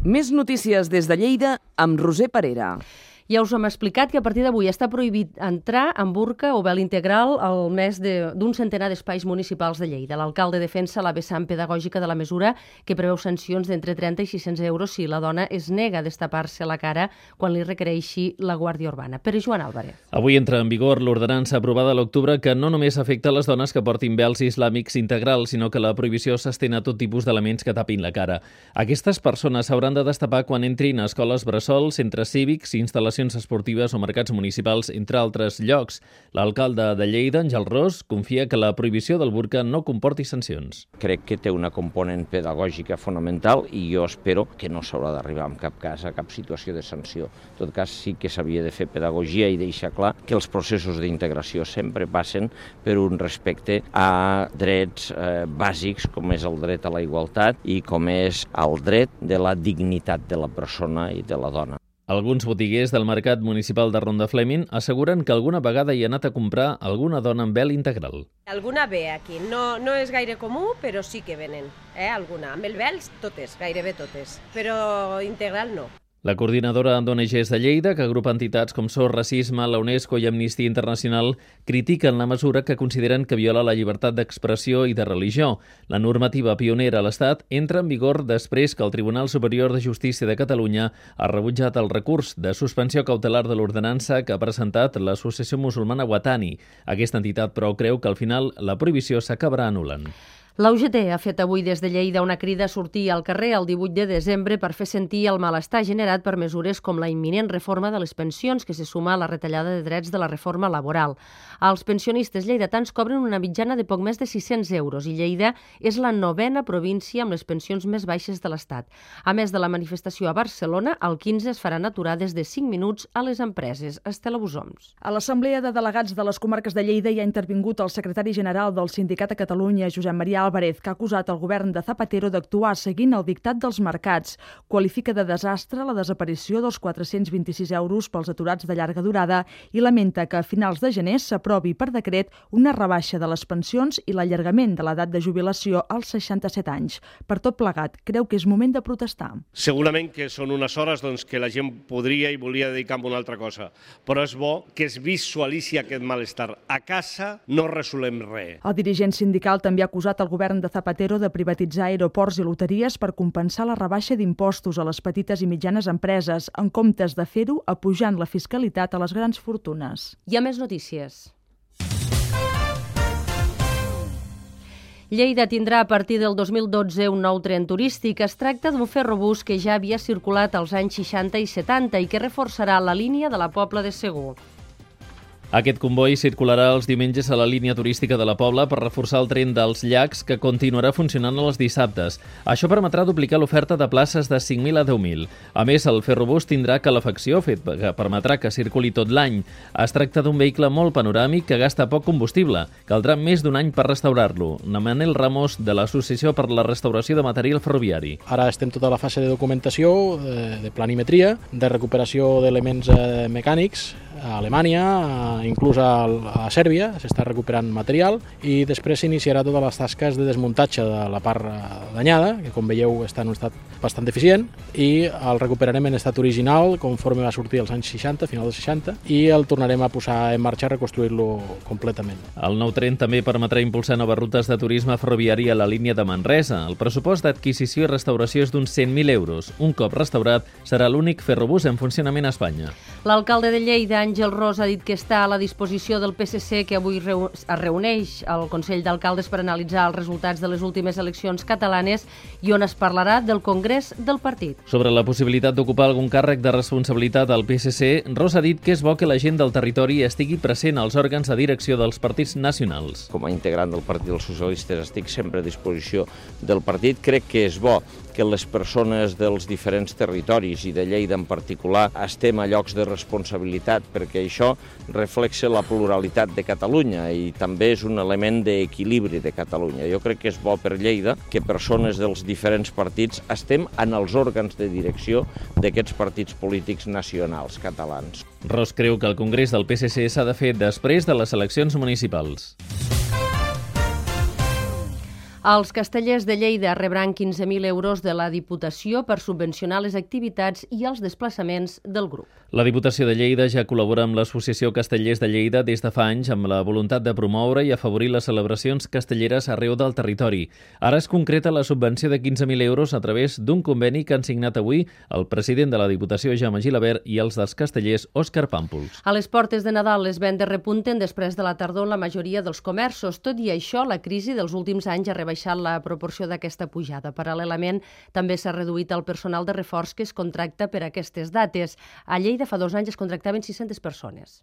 Més notícies des de Lleida amb Roser Parera. Ja us hem explicat que a partir d'avui està prohibit entrar amb burca o vel integral al més d'un centenar d'espais municipals de Lleida. L'alcalde defensa la vessant pedagògica de la mesura, que preveu sancions d'entre 30 i 600 euros si la dona es nega a destapar-se la cara quan li requereixi la Guàrdia Urbana. Pere Joan Álvarez. Avui entra en vigor l'ordenança aprovada a l'octubre que no només afecta les dones que portin vels islàmics integrals, sinó que la prohibició s'estén a tot tipus d'elements que tapin la cara. Aquestes persones s'hauran de destapar quan entrin a escoles bressol, centres cívics, instal·lacions esportives o mercats municipals, entre altres llocs. L'alcalde de Lleida, Àngel Ros, confia que la prohibició del burca no comporti sancions. Crec que té una component pedagògica fonamental i jo espero que no s'haurà d'arribar en cap cas a cap situació de sanció. En tot cas, sí que s'havia de fer pedagogia i deixar clar que els processos d'integració sempre passen per un respecte a drets bàsics, com és el dret a la igualtat i com és el dret de la dignitat de la persona i de la dona. Alguns botiguers del mercat municipal de Rondaflèming asseguren que alguna vegada hi ha anat a comprar alguna dona amb vel integral. Alguna ve aquí, no és gaire comú, però sí que venen, alguna. Amb el vel totes, gairebé totes, però integral no. La coordinadora d'ONGs de Lleida, que agrupa entitats com SOS Racisme, la UNESCO i Amnistia Internacional, critiquen la mesura que consideren que viola la llibertat d'expressió i de religió. La normativa pionera a l'Estat entra en vigor després que el Tribunal Superior de Justícia de Catalunya ha rebutjat el recurs de suspensió cautelar de l'ordenança que ha presentat l'Associació Musulmana Watani. Aquesta entitat, però, creu que al final la prohibició s'acabarà anul·lant. La UGT ha fet avui des de Lleida una crida a sortir al carrer el 18 de desembre per fer sentir el malestar generat per mesures com la imminent reforma de les pensions, que se suma a la retallada de drets de la reforma laboral. Els pensionistes lleidatans cobren una mitjana de poc més de 600 euros i Lleida és la 9ª província amb les pensions més baixes de l'Estat. A més de la manifestació a Barcelona, el 15 es faran aturades de 5 minuts a les empreses. Estela Busoms. A l'Assemblea de Delegats de les Comarques de Lleida hi ha intervingut el secretari general del Sindicat a Catalunya, Josep Maria Álvarez, que ha acusat el govern de Zapatero d'actuar seguint el dictat dels mercats. Qualifica de desastre la desaparició dels 426 euros pels aturats de llarga durada i lamenta que a finals de gener s'aprovi per decret una rebaixa de les pensions i l'allargament de l'edat de jubilació als 67 anys. Per tot plegat, creu que és moment de protestar. Segurament que són unes hores que la gent podria i volia dedicar a una altra cosa, però és bo que es visualitzi aquest malestar. A casa no resolem res. El dirigent sindical també ha acusat el govern de Zapatero de privatitzar aeroports i loteries per compensar la rebaixa d'impostos a les petites i mitjanes empreses, en comptes de fer-ho apujant la fiscalitat a les grans fortunes. Hi ha més notícies. Lleida tindrà a partir del 2012 un nou tren turístic. Es tracta d'un ferrobús que ja havia circulat als anys 60 i 70 i que reforçarà la línia de la Pobla de Segur. Aquest comboi circularà els diumenges a la línia turística de la Pobla per reforçar el tren dels llacs, que continuarà funcionant els dissabtes. Això permetrà duplicar l'oferta de places de 5.000 a 10.000. A més, el ferrobús tindrà calefacció, fet que permetrà que circuli tot l'any. Es tracta d'un vehicle molt panoràmic que gasta poc combustible. Caldrà més d'un any per restaurar-lo. Manel Ramos, de l'Associació per la Restauració de Material Ferroviari. Ara estem tota la fase de documentació, de planimetria, de recuperació d'elements mecànics a Alemanya, inclús a Sèrbia, s'està recuperant material i després s'iniciarà totes les tasques de desmuntatge de la part danyada, que com veieu està en un estat bastant deficient, i el recuperarem en estat original conforme va sortir als anys 60, final dels 60, i el tornarem a posar en marxa a reconstruir-lo completament. El nou tren també permetrà impulsar noves rutes de turisme ferroviari a la línia de Manresa. El pressupost d'adquisició i restauració és d'uns 100.000 euros. Un cop restaurat, serà l'únic ferrobús en funcionament a Espanya. L'alcalde de Lleida, Àngel Ros, ha dit que està a la disposició del PSC, que avui es reuneix al Consell d'Alcaldes per analitzar els resultats de les últimes eleccions catalanes i on es parlarà del Congrés del partit. Sobre la possibilitat d'ocupar algun càrrec de responsabilitat al PSC, Ros ha dit que és bo que la gent del territori estigui present als òrgans de direcció dels partits nacionals. Com a integrant del Partit dels Socialistes estic sempre a disposició del partit. Crec que és bo que les persones dels diferents territoris i de Lleida en particular estem a llocs de responsabilitat, perquè això reflexa la pluralitat de Catalunya i també és un element d'equilibri de Catalunya. Jo crec que és bo per Lleida que persones dels diferents partits estem en els òrgans de direcció d'aquests partits polítics nacionals catalans. Ros creu que el Congrés del PSC s'ha de fer després de les eleccions municipals. Els castellers de Lleida rebran 15.000 euros de la Diputació per subvencionar les activitats i els desplaçaments del grup. La Diputació de Lleida ja col·labora amb l'Associació Castellers de Lleida des de fa anys amb la voluntat de promoure i afavorir les celebracions castelleres arreu del territori. Ara es concreta la subvenció de 15.000 euros a través d'un conveni que han signat avui el president de la Diputació, Jaume Gilabert, i els dels castellers, Òscar Pàmpols. A les portes de Nadal les vendes repunten després de la tardor en la majoria dels comerços. Tot i això, la crisi dels últims anys ha rebaixat la proporció d'aquesta pujada. Paral·lelament, també s'ha reduït el personal de reforç que es contracta per aquestes dates. A Lleida fa 2 anys es contractaven 600 persones.